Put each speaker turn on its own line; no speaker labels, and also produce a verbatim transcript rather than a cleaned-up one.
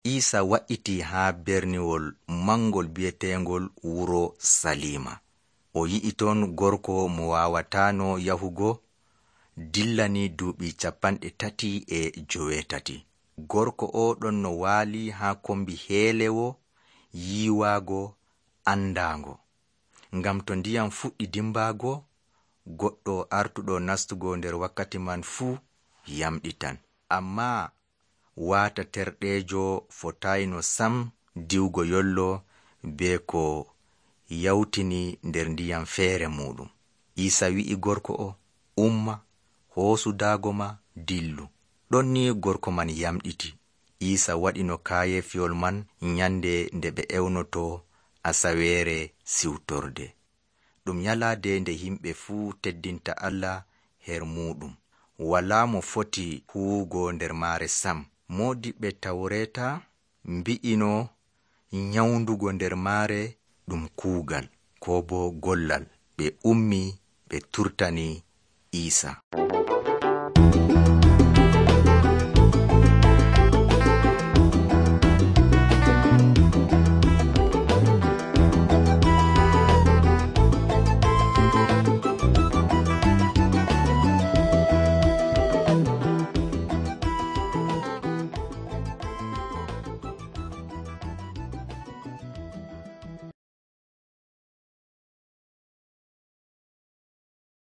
Iisa wa'iti haa berniwol mangol bi'etengol wuro Salima. O yi'i ton gorko mo waawataano yahugo dillani duuɓi capanɗe tati e joweetati. Gorko o ɗon no waali haa kombi heelewo yiiwaago andaango. Ngam to ndiyam fuɗɗi dimbaago, goɗɗo artuɗo nastugo nder wakkati man fuu yamɗitan. Ammaa waata terɗeejo fotayno sam diwgo yollo be ko yawtini nder ndiyam feere muɗum. Iisa wi'i gorko o, umma, hoosu daago ma, dillu. Ɗon ni gorko man yamɗiti. Iisa waɗino kaayefiyol man nyande nde ɓe ewnoto asaweere siwtorde. Ɗum nyalaade nde himɓe fuu teddinta Allah her muɗum. Walaa mo foti huwugo nder maare sam. Moodiɓɓe Tawreeta mbi'ino nyawndugo nder maare ɗum kuugal koo bo gollal. Ɓe ummi ɓe turtani Iisa.